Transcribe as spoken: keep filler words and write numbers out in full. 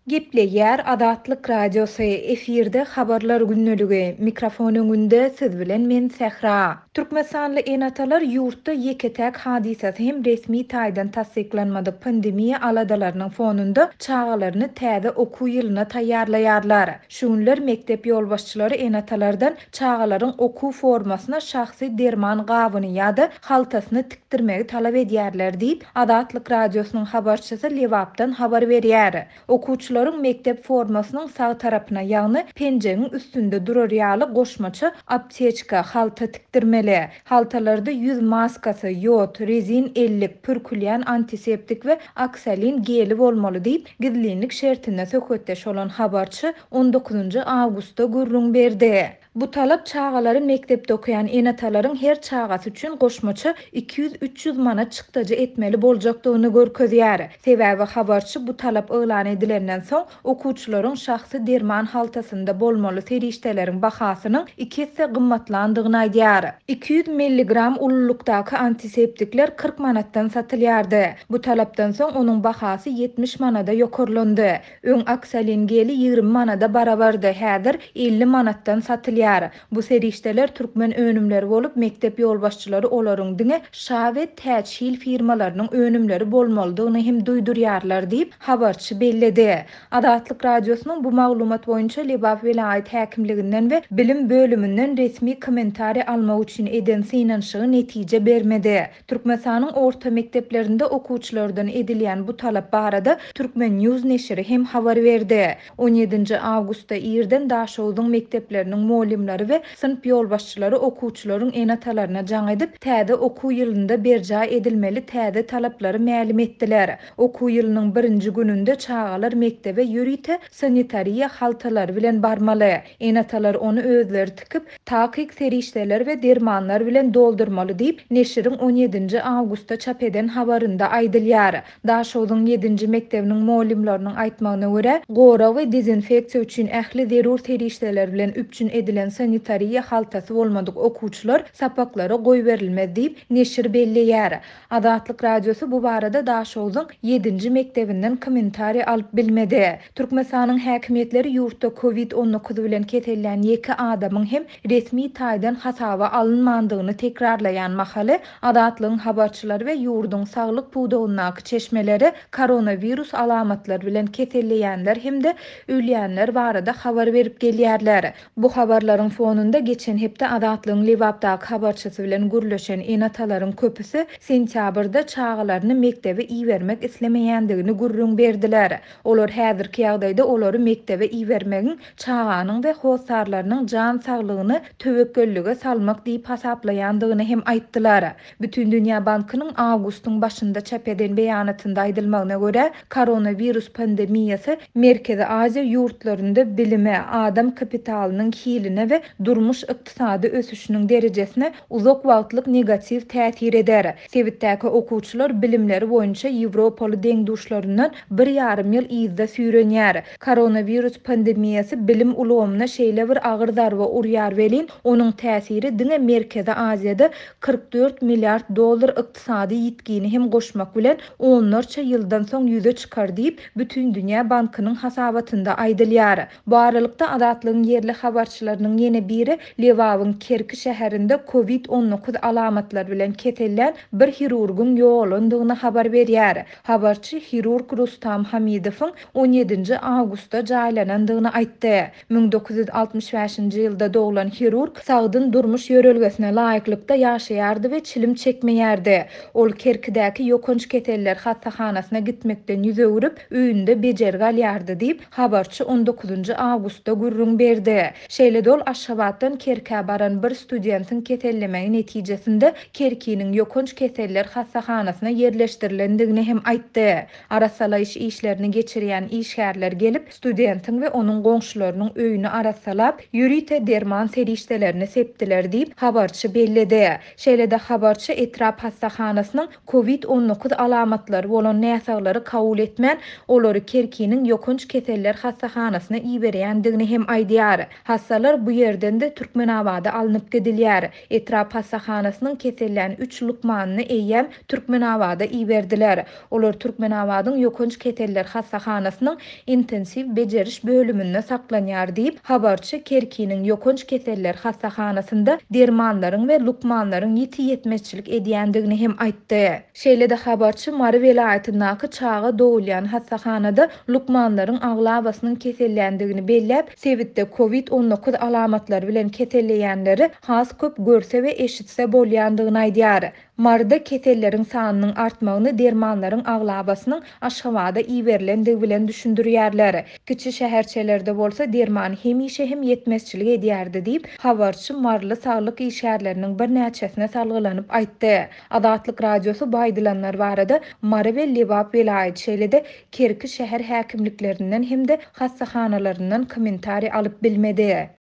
Gepleýär Azatlyk Radiosy, efirde Habarlar gündeligi, mikrofon öňünde siz bilen men Sähra. Türkmenistanly ene-atalar ýurtda ýeke-täk hadysasy hem resmi taýdan tassyklanmadyk pandemiýa aladalarynyň fonunda çagalaryny täze okuw ýylyna taýýarlaýarlar. Şu günler mekdep ýolbaşçylary ene-atalardan çagalaryň okuw formasyna şahsy derman gabyny ýa-da haltasyny tikdirmegi talap edýärler diýip, Azatlyk Radiosynyň habarçysy Lebapdan habar berýär. Okuwçylaryň mekdep formasynyň sag tarapyna, ýagny penjegiň üstünde durar ýaly goşmaça apteçka, halta tikdirmeli. Haltalarda ýüz maskasy, ýod, rezin ellik, pürkülýän antiseptik we oksolin geli bolmaly diýip, gizlinlik şertinde söhbetdeş bolan habarçy on dokuzynjy awgustda gürrüň berdi. Bu talap çagalary mekdepde okaýan ene-atalaryň her çagasy üçin goşmaça iki ýüz üç ýüz manat çykdajy etmeli boljakdygyny görkezýär. Sebäbi habarçy bu talap yglan edilenden soň okuwçylaryň şahsy derman haltasynda bolmaly serişdeleriň bahasynyň iki esse gymmatlandygyny aýdýar. iki ýüz milligram ululykdaky antiseptikler kyrk manatdan satylýardy. Bu talapdan soň onuň bahasy ýetmiş manada ýokarlandy. Öň oksolin geli ýigrimi manada barabardy, häzir elli manatdan satylýar. Bu serişdeler türkmen önümleri bolup, mekdep ýolbaşçylary olaryň diňe Şa we Täçhil firmalarynyň önümleri bolmalydygyny hem duýdurýarlar diýip, habarçy belledi. Azatlyk Radiosynyň bu maglumat boýunça Lebap welaýat häkimliginden we bilim bölüminden resmi kommentariý almak üçin eden synanyşygy netije bermedi. Türkmenistanyň orta mekdeplerinde okuwçylardan edilýän bu talap barada Türkmen News neşiri hem habar berdi. on ýedinji awgustda irden Daşogzuň mekdepleriniň muallimleri we synp ýolbaşçylary okuwçylaryň ene-atalaryna jaň edip, täze okuw ýylynda berjaý edilmeli täze talaplary mälim etdiler. Okuw ýylynyň birinji gününde çagalar mekdebe ýörite sanitariýa haltalary bilen barmaly. Ene-atalar ony özleri tikip, takyk serişdeler we dermanlar bilen doldurmaly diýip, neşiriň on ýedinji awgustda çap eden habarynda aýdylýar. Daşogzuň ýedinji mekdebiniň muallimleriniň aýtmagyna görä, gorag we dezinfeksiýa üçin ähli zerur serişdeler bilen üpjün edilen sanitariýa haltasy bolmadyk okuwçylar sapaklara goýberilmez diýip, neşir belleýär. Azatlyk Radiosy bu barada Daşogzuň ýedinji mekdebinden kommentariý alyp bilmedi. Türkmenistanyň häkimiýetleri ýurtda kovid on dokuz bilen kesellän ýeke adamyň hem resmi taýdan hasaba alynmandygyny tekrarlaýan mahaly Azatlygyň habarçylary we ýurduň saglyk pudagyndaky çeşmeleri koronawirus alamatlary bilen keselleýänler hem-de ölýänler barada habar berip gelýärler. Bu habarlaryň fonunda geçen hepde Azatlygyň Lebapdaky habarçysy bilen gürleşen ene-atalaryň köpüsi sentýabrda çagalaryny mekdebe ibermek islemeýändigini gürrüň berdiler. Olar häzirki ýagdaýda olary mekdebe ibermegiň çaganyň we hossarlarynyň jan saglygyny töwekgellige salmak diýip hasaplaýandygyny hem aýtdylar. Bütindünýä Bankynyň awgustyň başynda çap eden beýanatynda aýdylmagyna görä, koronawirus pandemiýasy Merkezi Aziýa ýurtlarynda bilime, adam kapitalynyň hiline we durmuş ykdysady ösüşiniň derejesine uzak wagtlyk negatiw täsir eder. Sebitdäki okuwçylar bilimleri boýunça Ýewropaly deň-duşlaryndan bir ýarym ýyl yzda süýrenýär. Koronawirus pandemiýasy bilim ulgamyna şeýle bir agyr zarba urýar welin, onuň täsiri diňe Merkezi Aziýada kyrk dört milliard dollar ykdysady ýitgini hem goşmak bilen onlarça ýyldan soň ýüze çykar diýip, Bütindünýä Bankynyň hasabatynda aýdylýar. Bu aralykda Azatlygyň ýerli habarçylarynyň ýene biri Lebabyň Kerki şäherinde kovid on dokuz alamatlary bilen kesellän bir hirurgyň ýogalandygyny habar berýär. Habarçy hirurg Rustam Hamidowyň on ýedinji awgustda jaýlanandygyny aýtdy. Müň dokuz ýüz altmyş bäşinji ýylda doglan hirurg sagdyn durmuş ýörelgesine laýyklykda ýaşaýardy we çilim çekmeýärdi. Ol Kerkidäki ýokanç keseller hassahanasyna gitmekden ýüz öwrüp, öýünde bejergi alýardy diýip, habarçy on dokuzynjy awgustda gürrüň berdi. Şeýle-de ol Aşgabatdan Kerkä baran bir studentiň kesellemegi netijesinde Kerkiniň ýokanç keseller hassahanasyna ýerleşdirilendigini hem aýtdy. Arassalaýyş işlerini geçirýän işgärler gelip, studentiň we onuň goňşularynyň öýüni arassalap, ýörite derman serişdelerini sepdiler diýip, habarçy belledi. Şeýle-de habarçy etrap hassahanasynyň kovid on dokuz alamatlary bolan näsaglary kabul etmän, olary Kerkiniň ýokanç keseller hassahanasyna iberýändigini hem aýdýar. Hassalar bu ýerden de Türkmenabada alnyp gidilýär. Etrap hassahanasynyň kesellän üç lukmanyny eýýäm Türkmenabada iberdiler. Olar Türkmenabadyň ýokanç keseller hassahanasyna hassahanasynyň intensiw bejeriş bölüminde saklanýar diýip, habarçy Kerkiniň ýokanç keseller hassahanasynda dermanlaryň we lukmanlaryň ýiti ýetmezçilik edýändigini hem aýtdy. Şeýle-de habarçy Mary welaýatyndaky çaga dogulýan hassahanada lukmanlaryň aglabasynyň keselländigini belläp, sebitde kowid on dokuz alamatlary bilen keselleýänleri has köp görse we eşitse bolýandygyny aýdýar. Maryda keselleriň sanynyň artmagyny dermanlaryň aglabasynyň Aşgabada iberilendigi bilen düşündirýärler. Kiçi şäherçelerde bolsa derman hemişe hem ýetmezçilik edýärdi diýip, habarçy maryly saglyk işgärleriniň birnäçesine salgylanyp aýtdy. Azatlyk Radiosy bu aýdylanlar barada Mary we Lebap welaýat, şeýle-de Kerki şäher häkimliklerinden hem-de hassahanalaryndan kommentariý alyp bilmedi.